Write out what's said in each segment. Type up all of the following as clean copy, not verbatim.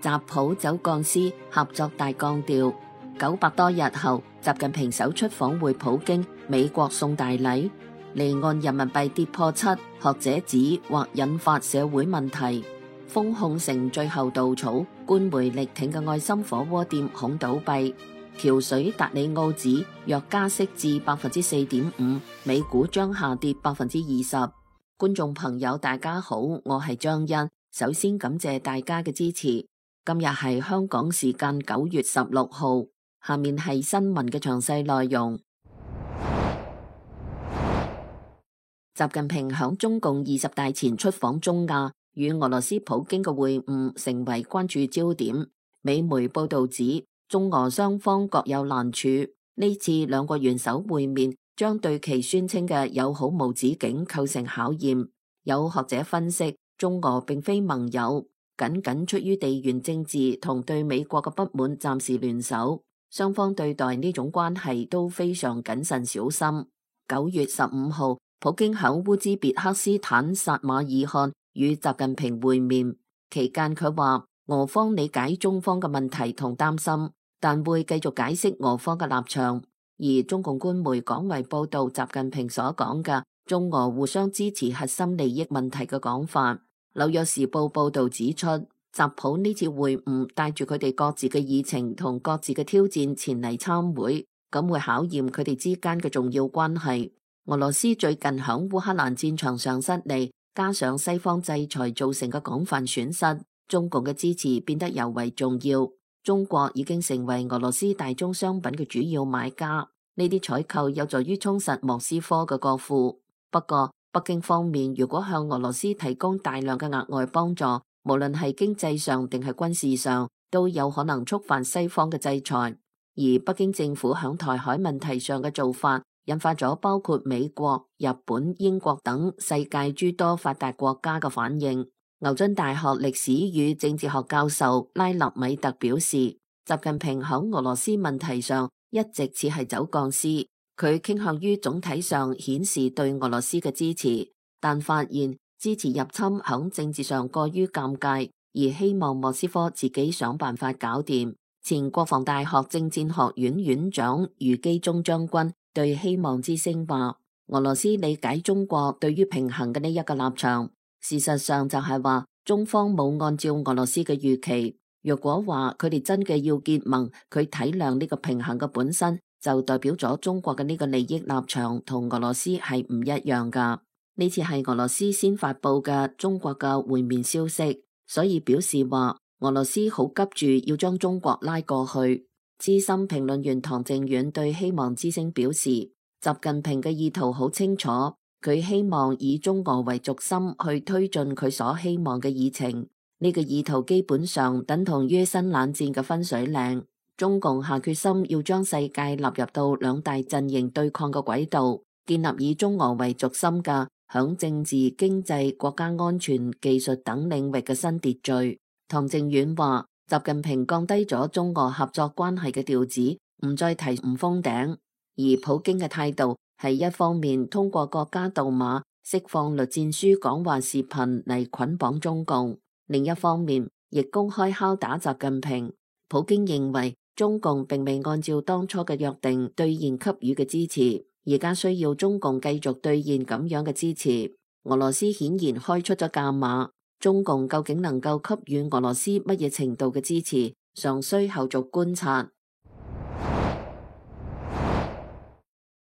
習普走鋼絲合作大綱調。900多日後，習近平首出訪會普京，美國送大禮。離岸人民幣跌破7，學者指或引發社會問題。封控成最後稻草，官媒力挺嘅愛心火鍋店恐倒閉。橋水達里奧指若加息至4.5%，美股將下跌20%。觀眾朋友大家好，我係張欣，首先感謝大家嘅支持。今日係香港時間9月16號，下面係新聞嘅詳細內容。習近平響中共20大前出訪中亞，與俄羅斯普京嘅會晤成為關注焦點。美媒報道指，中俄雙方各有難處，呢次兩國元首會面將對其宣稱嘅友好無止境構成考驗。有學者分析，中俄並非盟友，僅出於地緣政治同對美國嘅不滿暫時聯手，雙方對待呢種關係都非常謹慎小心。9月15號，普京響烏茲別克斯坦撒馬爾罕與習近平會面，期間佢話俄方理解中方嘅問題同擔心，但會繼續解釋俄方嘅立場。而中共官媒廣為報道習近平所講嘅中俄互相支持核心利益問題嘅講法。紐約時報報道指出，習普呢次會晤帶住佢哋各自嘅議程同各自嘅挑戰前嚟參會，咁會考驗佢哋之間嘅重要關係。俄羅斯最近響烏克蘭戰場上失利，加上西方制裁造成嘅廣泛損失，中共嘅支持變得尤為重要。中國已經成為俄羅斯大宗商品嘅主要買家，呢啲採購有助於充實莫斯科嘅國庫。不過，北京方面如果向俄羅斯提供大量嘅額外幫助，無論係經濟上定係軍事上，都有可能觸犯西方嘅制裁。而北京政府響台海問題上嘅做法，引發咗包括美國、日本、英國等世界諸多發達國家嘅反應。牛津大學歷史與政治學教授拉納米特表示，習近平響俄羅斯問題上一直似係走鋼絲，佢傾向於總體上顯示對俄羅斯嘅支持，但發現支持入侵響政治上過於尷尬，而希望莫斯科自己想辦法搞掂。前國防大學政戰學院院長余基忠將軍對希望之聲話，俄羅斯理解中國對於平衡嘅呢一個立場。事實上就係話，中方冇按照俄羅斯嘅預期。若果話佢哋真嘅要結盟，佢體諒呢個平衡嘅本身，就代表咗中國嘅呢個利益立場同俄羅斯係唔一樣噶。呢次係俄羅斯先發佈嘅中國嘅會面消息，所以表示話俄羅斯好急住要將中國拉過去。資深評論員唐靖遠對希望之聲表示，習近平嘅意圖好清楚。佢希望以中俄為軸心去推進佢所希望嘅議程，呢個意圖基本上等同於新冷戰嘅分水嶺。中共下決心要將世界納入到兩大陣營對抗嘅軌道，建立以中俄為軸心嘅響政治、經濟、國家安全、技術等領域嘅新秩序。唐靖遠話，習近平降低咗中俄合作關係嘅調子，唔再提唔封頂，而普京嘅態度係一方面通過國家杜馬釋放栗戰書講話視頻嚟捆綁中共，另一方面亦公開敲打習近平。普京認為中共並未按照當初嘅約定兌現給予嘅支持，而家需要中共繼續兌現咁樣嘅支持。俄羅斯顯然開出咗價碼，中共究竟能夠給予俄羅斯乜嘢程度嘅支持，尚需後續觀察。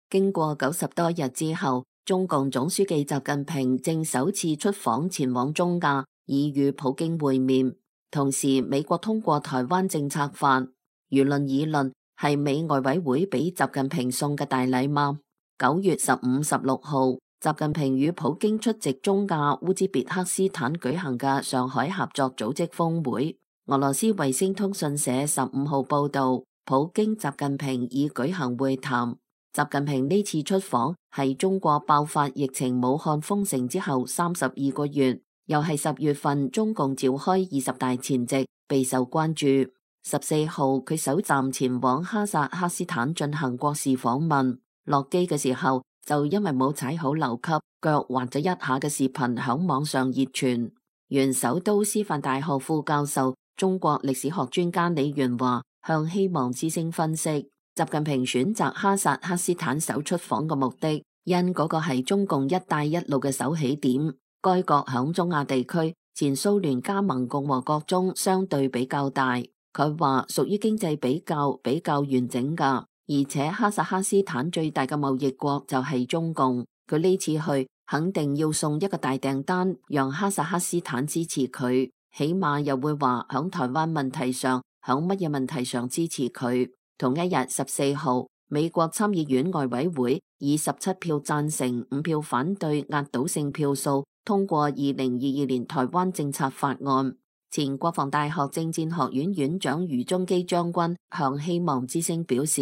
經過90多日之後，中共總書記習近平正首次出訪前往中亞，以與普京會面。同時，美國通過台灣政策法，輿論議論係美外委會俾習近平送嘅大禮嗎？9月15、16號，習近平與普京出席中亞烏茲別克斯坦舉行嘅上海合作組織峰會。俄羅斯衛星通訊社15號報道，普京、習近平已舉行會談。習近平呢次出訪係中國爆發疫情武漢封城之後32個月，又係10月份中共召開20大前夕，備受關注。14號佢首站前往哈薩克斯坦進行國事訪問，落機嘅時候就因為冇踩好樓級，腳滑咗一下嘅視頻響網上熱傳。原首都師範大學副教授中國歷史學專家李元華向希望之聲分析，習近平選擇哈薩克斯坦首出訪嘅目的，因嗰個係中共一帶一路嘅首起點。該國響中亞地區前蘇聯加盟共和國中相對比較大，佢話屬於經濟比較完整噶，而且哈薩克斯坦最大嘅貿易國就係中共，佢呢次去肯定要送一個大訂單，讓哈薩克斯坦支持佢，起碼又會話響台灣問題上，響乜嘢問題上支持佢。同一日14號，美國參議院外委會以17票贊成、5票反對壓倒性票數通過2022年台灣政策法案。前國防大學政戰學院院長余宗基將軍向希望之聲表示，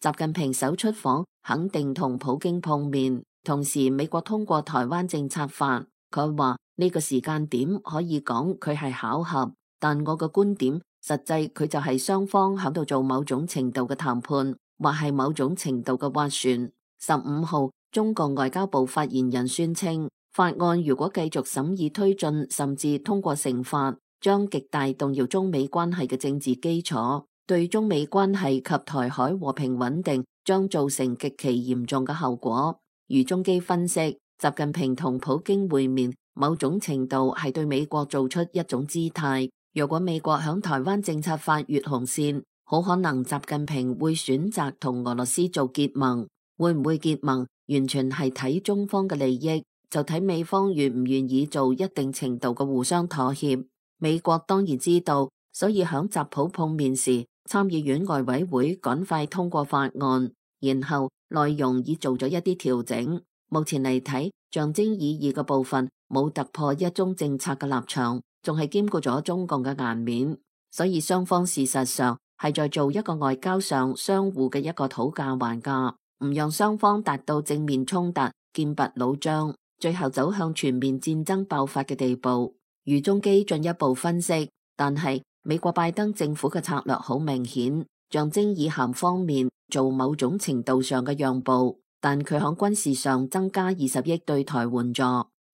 習近平首出訪肯定同普京碰面，同時美國通過台灣政策法。佢話呢個時間點可以講佢係巧合，但我嘅觀點實際佢就係雙方喺度做某種程度嘅談判，或係某種程度嘅斡旋。15號，中共外交部發言人宣稱，法案如果繼續審議推進，甚至通過成法，將極大動搖中美關係嘅政治基礎，對中美關係及台海和平穩定將造成極其嚴重嘅後果。余宗基分析，習近平同普京會面，某種程度係對美國做出一種姿態。如果美國響台灣政策法越紅線，好可能習近平會選擇同俄羅斯做結盟。會唔會結盟，完全係睇中方嘅利益，就睇美方願唔願意做一定程度嘅互相妥協。美國當然知道，所以響習普碰面時，參議院外委會趕快通過法案，然後內容已做咗一啲調整。目前嚟睇，象徵意義嘅部分冇突破一中政策嘅立場，仲係兼顧咗中共嘅顏面，所以雙方事實上係在做一個外交上相互嘅一個討價還價，唔讓雙方達到正面衝突、劍拔弩張，最後走向全面戰爭爆發嘅地步。余宗基進一步分析，但係美國拜登政府嘅策略好明顯，象徵意涵方面做某種程度上嘅讓步，但佢喺軍事上增加20億對台援助，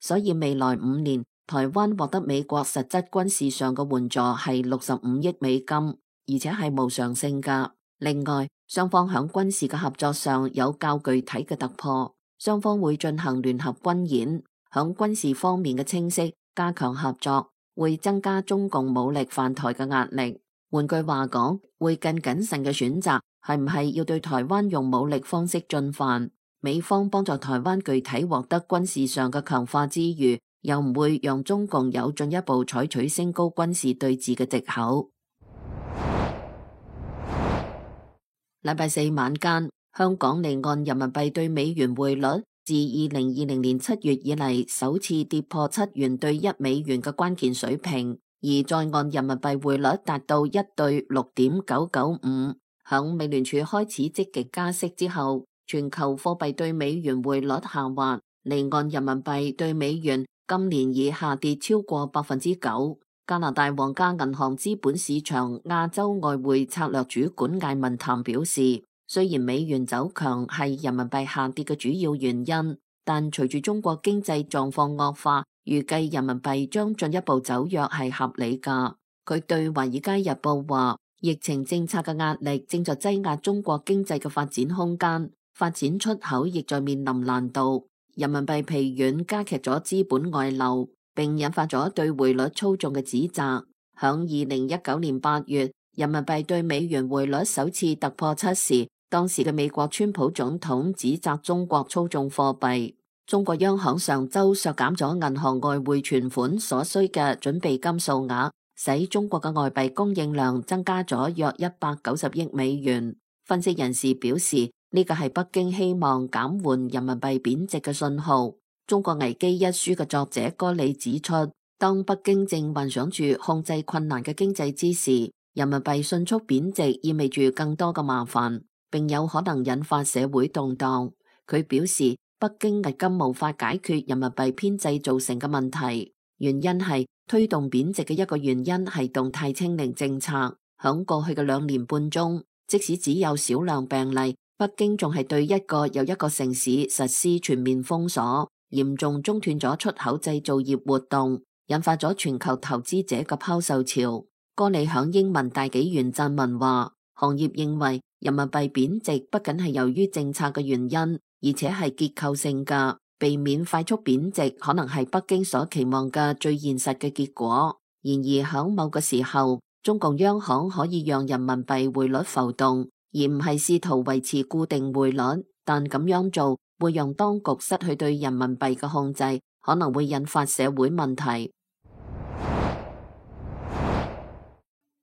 所以未來5年台灣獲得美國實質軍事上嘅援助係65億美金，而且係無償性㗎。另外，雙方喺軍事嘅合作上有較具體嘅突破，雙方會進行聯合軍演，喺軍事方面嘅清晰加強合作，會增加中共武力犯台嘅壓力。換句話講，會更謹慎嘅選擇係唔係要對台灣用武力方式進犯。美方幫助台灣具體獲得軍事上嘅強化之餘，又唔會讓中共有進一步採取升高軍事對峙嘅藉口。禮拜四晚間，香港離岸人民幣對美元匯率自2020年7月以嚟首次跌破7元對1美元嘅關鍵水平，而在岸人民幣匯率達到1對6.995。響美聯儲開始積極加息之後，全球貨幣對美元匯率下滑，離岸人民幣對美元今年已下跌超過9%。加拿大皇家銀行資本市場亞洲外匯策略主管艾文譚表示，雖然美元走強係人民幣下跌嘅主要原因，但隨住中國經濟狀況惡化，預計人民幣將進一步走弱係合理㗎。佢對《華爾街日報》話，疫情政策嘅壓力正在擠壓中國經濟嘅發展空間，發展出口亦在面臨難度。人民幣疲軟加劇咗資本外流，並引發咗對匯率操縱嘅指責。響2019年8月，人民幣對美元匯率首次突破7時，當時嘅美國川普總統指責中國操縱貨幣。中國央行上周削減咗銀行外匯存款所需嘅準備金數額，使中國嘅外幣供應量增加咗約190億美元。分析人士表示，呢個係北京希望減緩人民幣貶值嘅信號。《中國危機》一書嘅作者戈里指出，當北京正幻想住控制困難嘅經濟之時，人民幣迅速貶值意味住更多嘅麻煩，並有可能引發社會動盪。佢表示，北京至今無法解決人民幣偏製造成嘅問題，原因係推動貶值嘅一個原因係動態清零政策。響過去嘅2年半中，即使只有少量病例，北京仲係對一個又一個城市實施全面封鎖，嚴重中斷咗出口製造業活動，引發咗全球投資者嘅拋售潮。歌里響英文大紀元撰文話，行業認為人民幣貶值不僅係由於政策嘅原因，而且係結構性嘅，避免快速貶值可能係北京所期望嘅最現實嘅結果。然而響某個時候，中共央行可以讓人民幣匯率浮動，而唔係試圖維持固定匯率，但咁樣做會讓當局失去對人民幣嘅控制，可能會引發社會問題。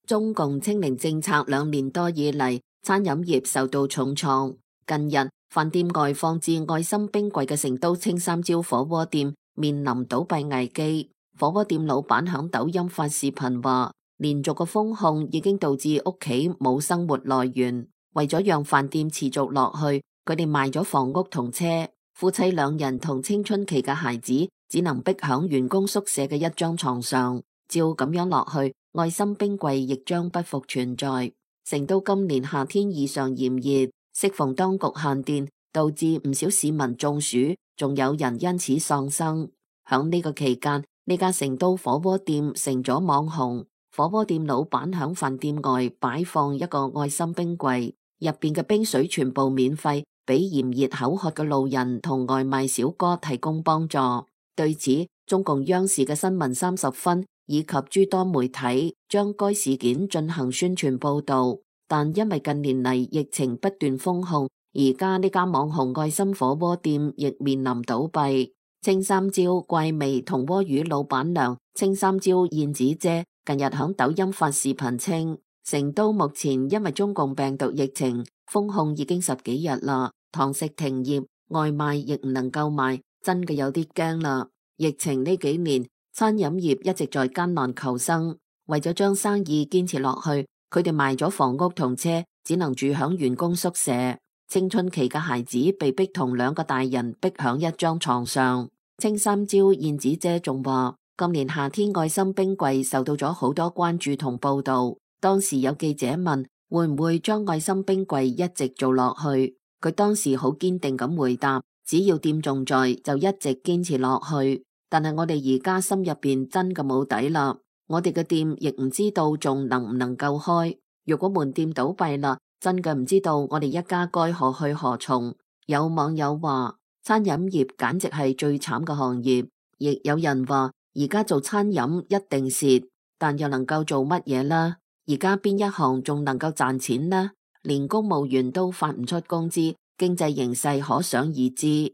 中共清零政策2年多以嚟，餐飲業受到重創。近日，飯店外放置愛心冰櫃嘅成都青三椒火鍋店面臨倒閉危機。火鍋店老闆響抖音發視頻話，連續嘅封控已經導致屋企冇生活來源。為咗讓飯店持續落去，佢哋賣咗房屋同車。夫妻2人同青春期嘅孩子只能逼響員工宿舍嘅一張床上。照咁樣落去，愛心冰櫃亦將不復存在。成都今年夏天異常炎熱，適逢當局限電，導致唔少市民中暑，仲有人因此喪生。響呢個期間，呢家成都火鍋店成咗網紅。火鍋店老闆響飯店外擺放一個愛心冰櫃，入邊嘅冰水全部免費，俾炎熱口渴嘅路人同外賣小哥提供幫助。對此，中共央視嘅新聞30分以及諸多媒體將該事件進行宣傳報道，但因為近年嚟疫情不斷封控，而家呢家網紅愛心火鍋店亦面臨倒閉。青三椒怪味同鍋魚老闆娘青三椒燕子姐近日響抖音發視頻稱，成都目前因為中共病毒疫情封控已經10幾日啦，堂食停業，外賣亦唔能夠賣，真嘅有啲驚啦。疫情呢幾年，餐飲業一直在艱難求生，為咗將生意堅持落去，佢哋賣咗房屋同車，只能住響員工宿舍。青春期嘅孩子被逼同2個大人逼響一張床上。青三椒燕子姐仲話，今年夏天愛心冰櫃受到咗好多關注同報道。當時有記者問會唔會將愛心冰櫃一直做落去，佢當時好堅定咁回答，只要店仲在就一直堅持落去。但係我哋而家心入邊真嘅冇底啦，我哋嘅店亦唔知道仲能唔能夠開。如果門店倒閉啦，真嘅唔知道我哋一家該何去何從。有網友話，餐飲業簡直係最慘嘅行業，亦有人話而家做餐飲一定蝕，但又能夠做乜嘢呢？而家邊一行仲能夠賺錢呢？連公務員都發唔出工資，經濟形勢可想而知。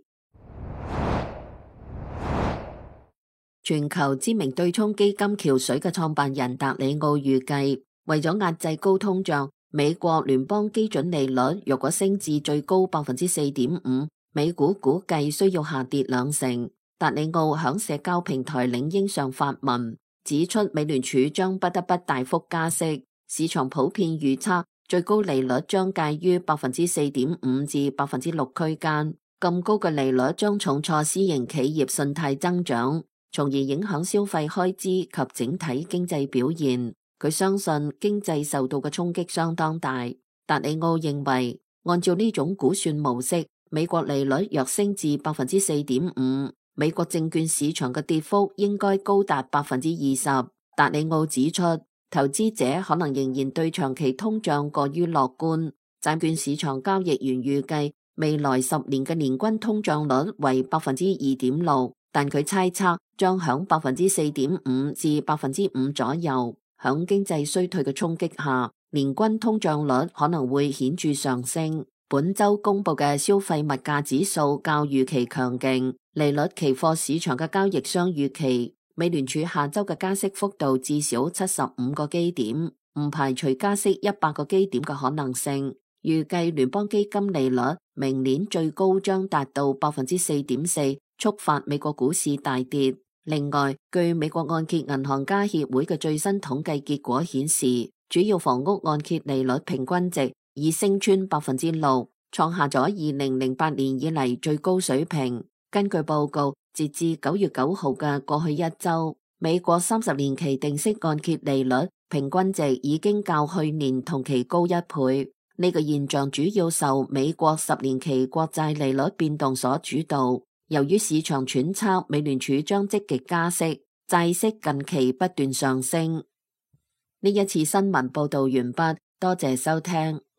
全球知名對沖基金橋水嘅創辦人達里奧預計，為咗壓制高通脹，美國聯邦基準利率若果升至最高4.5%，美股估計需要下跌2成。達里奧響社交平台領英上發文，指出美聯儲將不得不大幅加息，市場普遍預測最高利率將介於4.5%至6%區間。咁高嘅利率將重挫私營企業信貸增長，從而影響消費開支及整體經濟表現。佢相信經濟受到嘅衝擊相當大。達里奧認為，按照呢種估算模式，美國利率若升至4.5%，美國證券市場嘅跌幅應該高達20%。達里奧指出，投資者可能仍然對長期通脹過於樂觀。債券市場交易員預計未來10年嘅年均通脹率為2.6%，但佢猜測將響4.5%至5%左右。響經濟衰退嘅衝擊下，年均通脹率可能會顯著上升。本周公布嘅消費物價指數較預期強勁，利率期貨市場嘅交易商預期美聯儲下周嘅加息幅度至少75個基點，唔排除加息100個基點嘅可能性。預計聯邦基金利率明年最高將達到4.4%，觸發美國股市大跌。另外，據美國按揭銀行家協會嘅最新統計結果顯示，主要房屋按揭利率平均值已升穿6%，創下咗2008年以嚟最高水平。根據報告，截至9月9號嘅過去一周，美國30年期定息按揭利率平均值已經較去年同期高1倍。呢個現象主要受美國10年期國債利率變動所主導。由於市場揣測美聯儲將積極加息，債息近期不斷上升。呢一次新聞報道完畢，多謝收聽。